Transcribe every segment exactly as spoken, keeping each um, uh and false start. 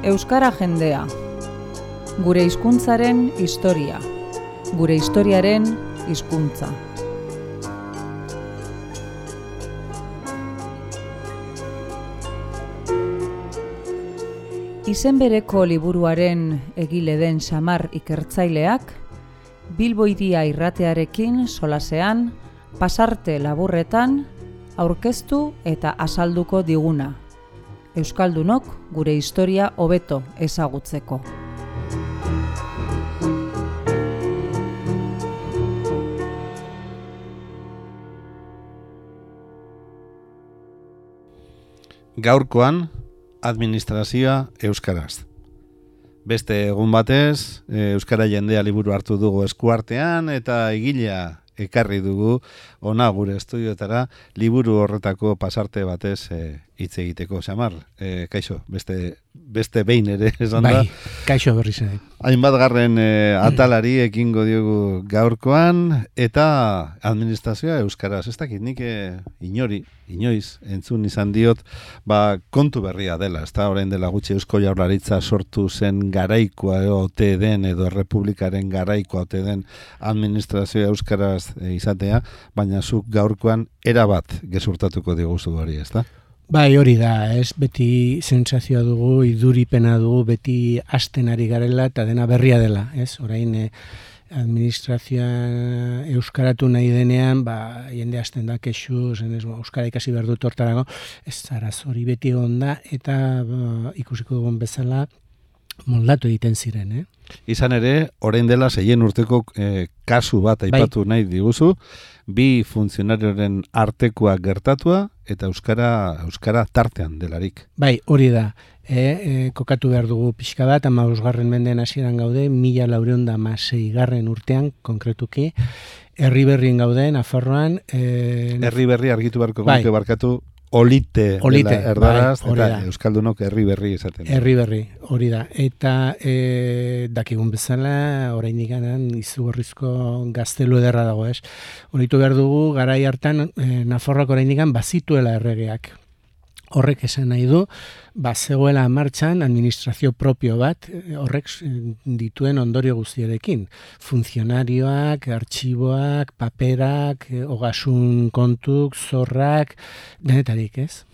Euskara jendea. Gure hizkuntzaren historia. Gure historiaren hizkuntza. Izen bereko liburuaren egile den Xamar ikertzaileak, Bilbo Hiria irratearekin solasean, pasarte laburretan, aurkeztu eta azalduko diguna. Euskaldunok gure historia hobeto ezagutzeko. Gaurkoan, administrazioa euskaraz. Beste egun batez, Euskara jendea liburu hartu dugu eskuartean eta egilea ekarri dugu ona gure estudioetara liburu horretako pasarte batez hitz e, egiteko. Xamar, e, kaixo, beste, beste behin ere esan da. Bai, kaixo berriz ere. Hainbat garren e, atalari ekingo diogu gaurkoan eta administrazioa euskaraz. Ez dakit nik e, inori, inoiz, entzun izan diot, ba, kontu berria dela. Ez da, orain dela gutxi Eusko Jaurlaritza sortu zen garaikoa ote den edo Errepublikaren garaikoa ote den administrazioa euskaraz e, izatea, baina zuk gaurkoan erabat gezurtatuko diguzu hori, ez da? Bai, hori da, ez, beti sentsazioa dugu, iduripena dugu, beti hasten ari garela eta dena berria dela, ez, orain eh, administrazioa euskaratu nahi denean, ba, jende hasten da kexu, zen ez, euskara ikasi behar dut hortarago, ez zaraz hori beti onda eta ba, ikusiko dugun bezala moldatu egiten ziren, eh? Izan ere, orain dela seien urteko eh, kasu bat aipatu bai. Nahi diguzu, bi funtzionarioren artekoa gertatua eta euskara euskara tartean delarik. Bai, hori da. E, e, kokatu behar dugu pixka bat, hamabosgarren mendean hasieran gaude, mila laurehun eta hamaseigarren urtean, konkretuki, herri berrien gaude, Nafarroan. E, herri berri argitu beharko bai. Guke barkatu, olite, olite dela erdaraz, bai, eta euskaldunok herri berri esaten. Herri berri, hori da. Eta e, dakigun bezala, oraindik ganan, izugarrizko gaztelu ederra dago, ez? Horitu behar dugu, garai hartan, e, Nafarroak oraindik ganan bazituela erregeak. Horrek esan nahi du, bazegoela martxan administrazio propio bat, horrek dituen ondorio guztiarekin. Funtzionarioak, artxiboak, paperak, ogasun kontuk, zorrak, denetarik, ez?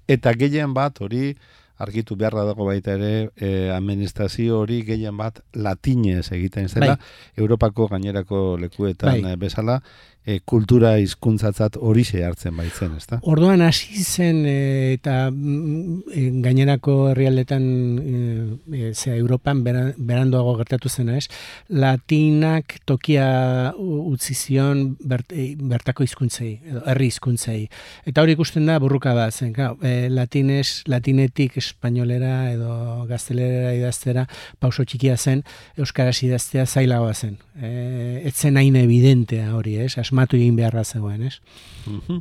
Eta gehien bat hori, argitu beharra dago baita ere, eh, administrazio hori gehien bat latinez egiten zela, bai. Europako gainerako lekuetan bai. Bezala, e, kultura hizkuntzatzat horixe hartzen baitzen, ezta? Orduan hasi zen e, eta e, gainerako herrialdetan e, e, Europan beran, beranduago gertatu zena, ez? Latinak tokia utzi zion bert, e, bertako hizkuntzei, edo herri hizkuntzei. Eta hori ikusten da burruka bat zen, claro, e, latinez, latinetik espainolera edo gaztelera idaztera pauso txikia zen, euskaraz idaztea zailagoa zen. E, etzen hain evidentea hori, ez? Asmatu egin beharra zegoen, ez? Uh-huh.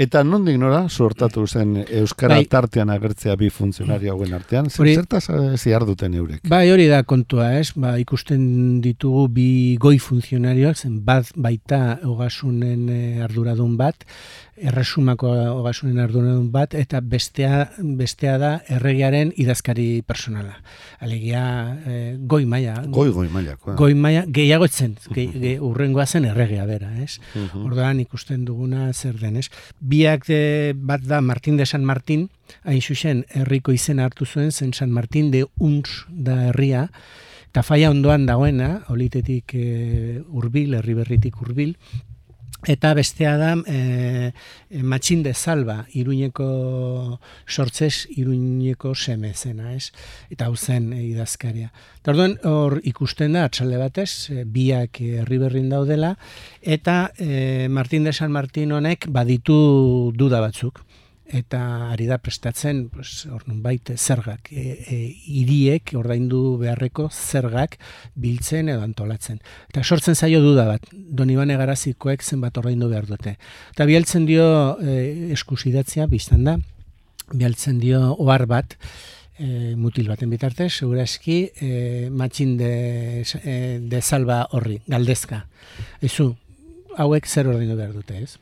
Eta nondik nora sortatu zen euskara bai. Tartean agertzea bi funtzionario hauen artean? Hori, zertaz zihar duten eurek? Bai, hori da kontua, ez? Ba, ikusten ditugu bi goi funtzionarioak, zen bat baita ogasunen arduradun bat, erresumako ogasunen arduradun bat, eta bestea, bestea da erregearen idazkari personala. Alegia, eh, goi maila. Goi, goi maila. Goi maila, gehiago etzen, ge, ge, urrengoa zen erregea bera, ez? Uh-huh. Orduan ikusten duguna zer den, ez? Biak de, bat da Martin de San Martin, hain zuzen herriko izena hartu zuen, zen San Martin de Uns da herria, eta faia ondoan dagoena, olitetik e, urbil, herri berritik urbil, eta bestea da e, Matxin de Salva, Iruñeko sortzez, Iruñeko seme zena, ez? Eta hau zen e, idazkaria. Eta orduan hor ikusten da, atxalde batez, e, biak herri berrin daudela, eta e, Martin de San Martin honek baditu duda batzuk. Eta ari da prestatzen, pues, hor nunbait zergak, e, e, hiriek ordaindu beharreko zergak biltzen edo antolatzen. Eta sortzen zaio duda bat, Donibane Garazikoek zenbat ordaindu behar dute. Eta bialtzen dio e, eskusidatzia, biztan da, bialtzen dio ohar bat, e, mutil baten bitartez, segurazki e, Matxin de, e, de Salva horri, galdezka. Ezu, hauek zer ordaindu behar dute, ez?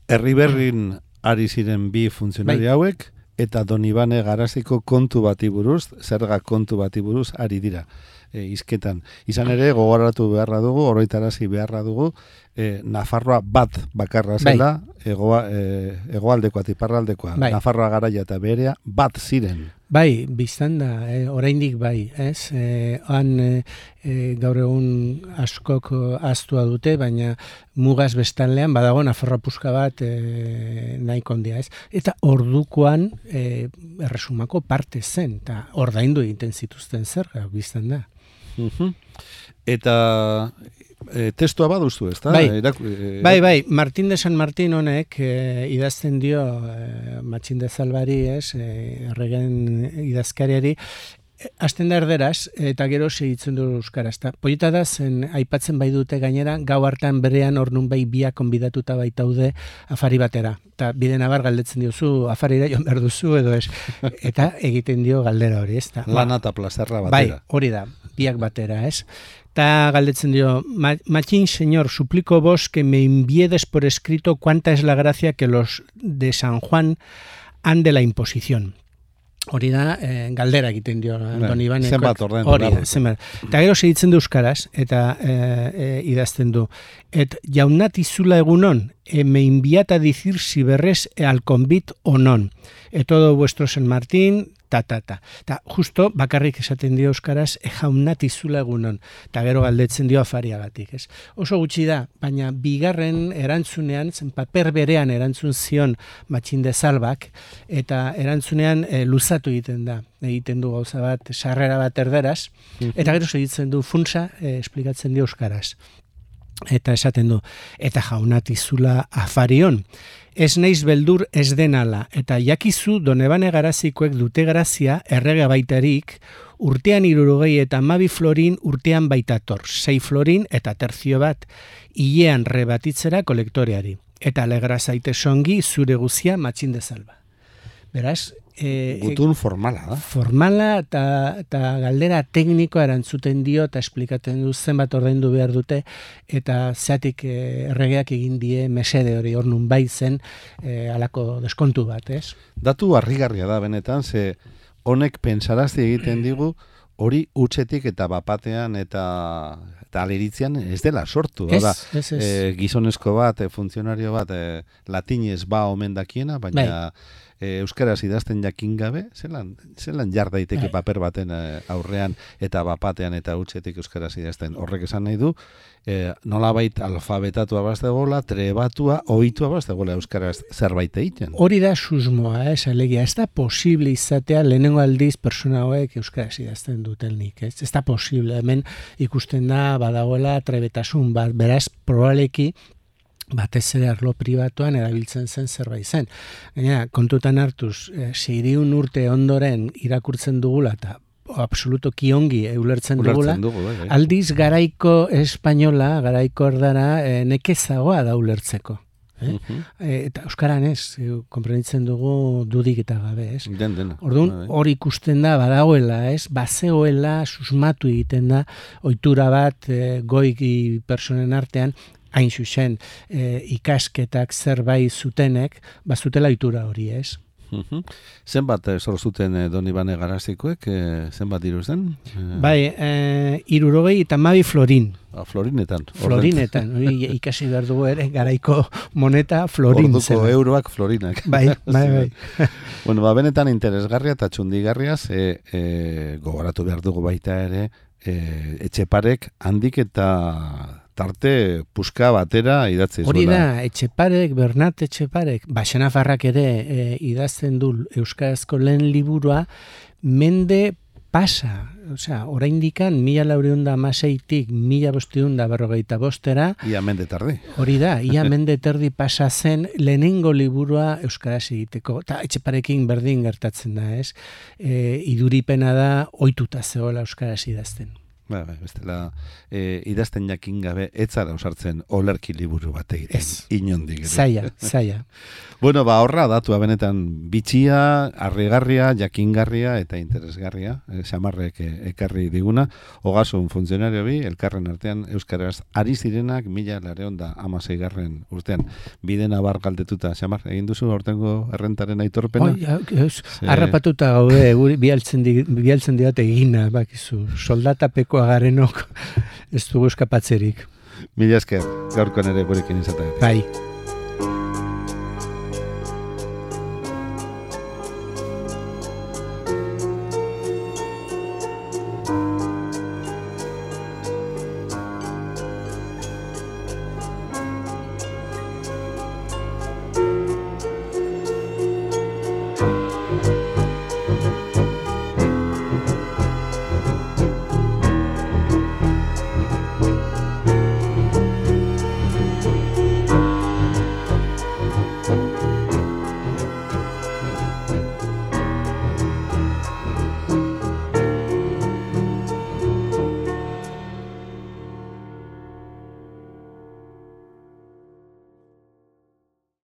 Herri berrin ari ziren bi funtzionari bai. Hauek, eta Donibane Garaziko kontu bati buruz, zerga kontu bati buruz ari dira. E, izketan. Izan ere, gogoratu beharra dugu, oroitarazi beharra dugu, e, Nafarroa bat bakarra zela, bai. egoa, e, egoaldekoa, tiparraldekoa, bai. Nafarroa garaia eta berea bat ziren. Bai, biztan da, eh, oraindik bai, ez? Eh, han eh, gaur egun askok ahaztua dute, baina mugaz bestaldean badago Nafarroa puska bat eh, nahiko handia, ez? Eta ordukoan eh, erresumako parte zen, eta ordaindu egiten zituzten zerga, biztan da. Uh-huh. Eta e, testua baduzu, ez da? Bai. Eraku, e, bai, bai, Martín de San Martín honek e, idazten dio e, Matxin de Zalbari, ez, e, erregen idazkariari, hasten da erderaz, eta gero segitzen du euskaraz. Ta, Poeta da, zen aipatzen bai dute gainera, gau hartan berean hor nun bai biak konbidatuta baitaude afari batera. Eta bide nabar galdetzen diozu, afarira joan behar duzu edo ez. Eta egiten dio galdera hori, ez? Ta, Lana eta plazerra batera. Bai, hori da, biak batera, ez? Eta galdetzen dio, Machín, señor, suplico vos que me enviedes por escrito cuánta es la gracia que los de San Juan han de la imposición. Hori da, eh, galdera egiten dio Donibane. Zenbat orden. Hori da, zenbat. Eta gero segitzen du euskaraz, eta eh, eh, idazten du. Et jaunat izula egunon, e me enviat a decir si berrez al convit o non. E todo vuestro San Martín, ta, ta, ta. Ta justo bakarrik esaten dio euskaraz, e jaunat izula egunon. Eta gero galdetzen dio afariagatik, ez? Oso gutxi da, baina bigarren erantzunean, zen paper berean erantzun zion Matxin de Zalbak, eta erantzunean e, luzatu egiten da. Egiten du gauza bat, sarrera bat erderaz, eta gero segitzen du funtsa, e, esplikatzen dio euskaraz. Eta esaten du, eta jaunatizula afarion. Ez naiz beldur ez denala, eta jakizu Donibane Garazikoek dute grazia errege baitarik, urtean hirurogei eta hamabi florin urtean baitator, sei florin eta terzio bat, hilean rebatitzera kolektoreari. Eta alegra zaite songi zure guzia Matxin de Zalba. Beraz, E, Gutun formala, da? Formala eta galdera teknikoa erantzuten dio eta esplikatzen du zenbat ordaindu behar dute eta zeatik e, erregeak egin die mesede hori hor nun bai zen e, alako deskontu bat, ez? Datu harrigarria da benetan, ze honek pensarazti egiten digu hori utzetik eta bapatean eta eta aleritzean ez dela sortu. Ez, da, ez, ez. E, gizonezko bat, e, funtzionario bat, e, latinez ba omen dakiena, baina bai. E, euskaraz idazten jakin gabe, zelan, zelan jar daiteke paper baten e, aurrean eta bapatean eta utzetik euskaraz idazten. Horrek esan nahi du, e, nolabait alfabetatua baztegola, trebatua, ohitua baztegola euskaraz zerbait egiten. Hori da susmoa, ez, alegia, ez da posible izatea lehenengo aldiz persona hauek euskaraz idazten dutelnik, ez? Ez da posible, hemen ikusten da badagoela trebetasun bat, beraz, probaleki, batez ere arlo pribatuan erabiltzen zen zerbait zen. Gainera, kontutan hartuz, e, seiehun urte ondoren irakurtzen dugula eta absoluto kiongi ulertzen dugula, dugu, bai, bai. Aldiz garaiko espainola, garaiko erdara, e, nekezagoa da ulertzeko. Eh? Uh-huh. E, eta euskaran ez, e, konprenitzen dugu dudik eta gabe, ez? Den, dena. Orduan, hori ikusten da, badagoela, ez? Bazegoela, susmatu egiten da, ohitura bat, e, goiki personen artean, hain zuzen, e, ikasketak zerbait zutenek, bazutela ohitura hori, ez? Uh-huh. Zenbat eh, zor zuten eh, Donibane Garazikoek, eh, zenbat diru zen? Eh... Bai, eh, irurogei eta hamabi florin. Ah, florinetan. Florinetan, hori ikasi behar dugu ere, garaiko moneta florin. Orduko euroak florinak. Bai, bai, bai. Bueno, ba, benetan interesgarria eta txundigarria, e, e, gogoratu behar dugu baita ere, e, Etxeparek handik eta tarte puska batera idatzi zuela. Hori da, Etxeparek, Bernat Etxeparek, Baxenafarrak ere e, idazten du euskarazko lehen liburua, mende pasa, osea, oraindikan mila laurehun eta hamaseitik mila bostehun eta berrogeita bostera. Ia mende tardi. Hori da, ia mende terdi pasa zen lehenengo liburua euskaraz egiteko. Eta Etxeparekin berdin gertatzen da, ez? E, iduripena da ohituta zegoela euskaraz idazten. Ba, ba, bestela, e, idazten jakin gabe, etzara osartzen olerki liburu bat egiten. Ez. Inondik. Zaila, zaila. Bueno, ba, horra datua benetan bitxia, harrigarria, jakingarria eta interesgarria, e, Xamarrek e, ekarri diguna, ogasun funtzionario bi, elkarren artean euskaraz ari zirenak mila lareon da amaseigarren urtean. Bide nabar galdetuta, Xamar, egin duzu aurtengo errentaren aitorpena? Oi, ez, harrapatuta gaude, guri bialtzen, di, bialtzen diate egina, bakizu, soldatapeko agarenok ez dugu eskapatzerik. Mila esker, gaurkoan ere gurekin izatea. Bai.